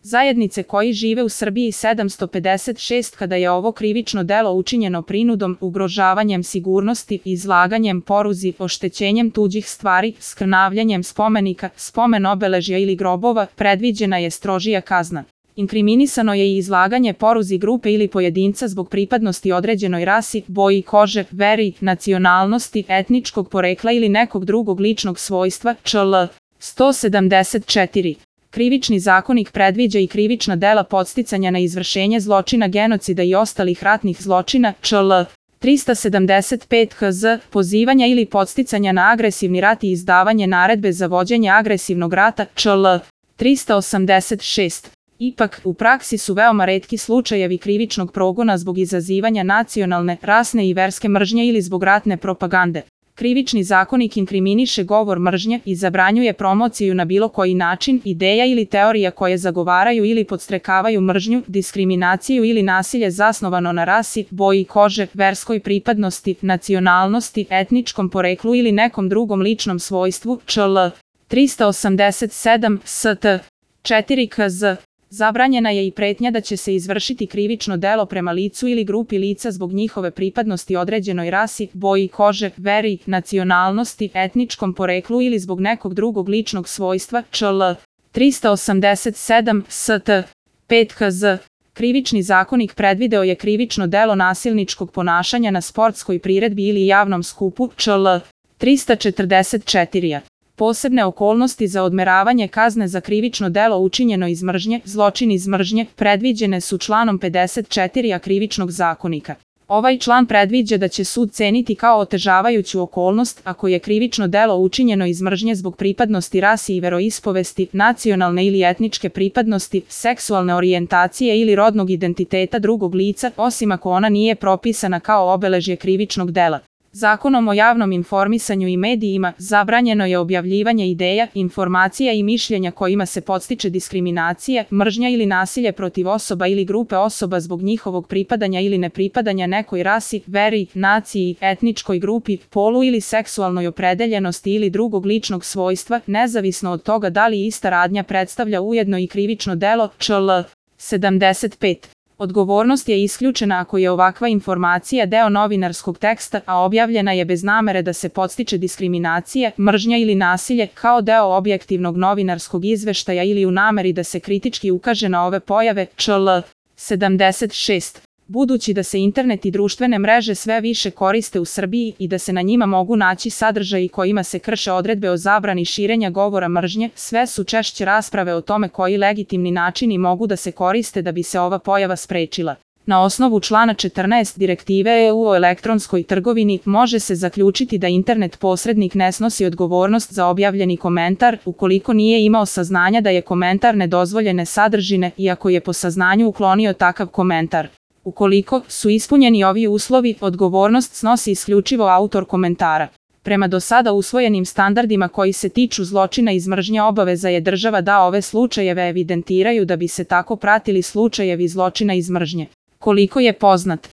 zajednice koji žive u Srbiji 756 kada je ovo krivično delo učinjeno prinudom, ugrožavanjem sigurnosti, izlaganjem poruzi, oštećenjem tuđih stvari, skrnavljanjem spomenika, spomen obeležja ili grobova, predviđena je strožija kazna. Inkriminisano je i izlaganje poruzi grupe ili pojedinca zbog pripadnosti određenoj rasi, boji kože, veri, nacionalnosti, etničkog porekla ili nekog drugog ličnog svojstva, čl. 174. Krivični zakonik predviđa i krivična dela podsticanja na izvršenje zločina genocida i ostalih ratnih zločina, čl. 375 KZ, pozivanja ili podsticanja na agresivni rat i izdavanje naredbe za vođenje agresivnog rata, čl. 386. Ipak, u praksi su veoma retki slučajevi krivičnog progona zbog izazivanja nacionalne, rasne i verske mržnje ili zbog ratne propagande. Krivični zakonik inkriminiše govor mržnje i zabranjuje promociju na bilo koji način, ideja ili teorija koje zagovaraju ili podstrekavaju mržnju, diskriminaciju ili nasilje zasnovano na rasi, boji kože, verskoj pripadnosti, nacionalnosti, etničkom poreklu ili nekom drugom ličnom svojstvu, čl. 387 ST. 4 KZ. Zabranjena je i pretnja da će se izvršiti krivično delo prema licu ili grupi lica zbog njihove pripadnosti određenoj rasi, boji kože, veri, nacionalnosti, etničkom poreklu ili zbog nekog drugog ličnog svojstva, čl. 387 ST. 5 KZ. Krivični zakonik predvideo je krivično delo nasilničkog ponašanja na sportskoj priredbi ili javnom skupu, čl. 344. Posebne okolnosti za odmeravanje kazne za krivično delo učinjeno iz mržnje, zločin iz mržnje, predviđene su članom 54a Krivičnog zakonika. Ovaj član predviđa da će sud ceniti kao otežavajuću okolnost ako je krivično delo učinjeno iz mržnje zbog pripadnosti rasi i veroispovesti, nacionalne ili etničke pripadnosti, seksualne orijentacije ili rodnog identiteta drugog lica, osim ako ona nije propisana kao obeležje krivičnog dela. Zakonom o javnom informisanju i medijima zabranjeno je objavljivanje ideja, informacija i mišljenja kojima se podstiče diskriminacija, mržnja ili nasilje protiv osoba ili grupe osoba zbog njihovog pripadanja ili nepripadanja nekoj rasi, veri, naciji, etničkoj grupi, polu ili seksualnoj opredeljenosti ili drugog ličnog svojstva, nezavisno od toga da li ista radnja predstavlja ujedno i krivično delo, čl. 75. Odgovornost je isključena ako je ovakva informacija deo novinarskog teksta, a objavljena je bez namere da se podstiče diskriminacija, mržnja ili nasilje, kao deo objektivnog novinarskog izveštaja ili u nameri da se kritički ukaže na ove pojave, čl. 76. Budući da se internet i društvene mreže sve više koriste u Srbiji i da se na njima mogu naći sadržaji kojima se krše odredbe o zabrani širenja govora mržnje, sve su češće rasprave o tome koji legitimni načini mogu da se koriste da bi se ova pojava sprečila. Na osnovu člana 14 Direktive EU o elektronskoj trgovini može se zaključiti da internet posrednik ne snosi odgovornost za objavljeni komentar ukoliko nije imao saznanja da je komentar nedozvoljene sadržine i ako je po saznanju uklonio takav komentar. Ukoliko su ispunjeni ovi uslovi, odgovornost snosi isključivo autor komentara. Prema do sada usvojenim standardima koji se tiču zločina iz mržnje obaveza je država da ove slučajeve evidentiraju da bi se tako pratili slučajevi zločina iz mržnje. Koliko je poznat,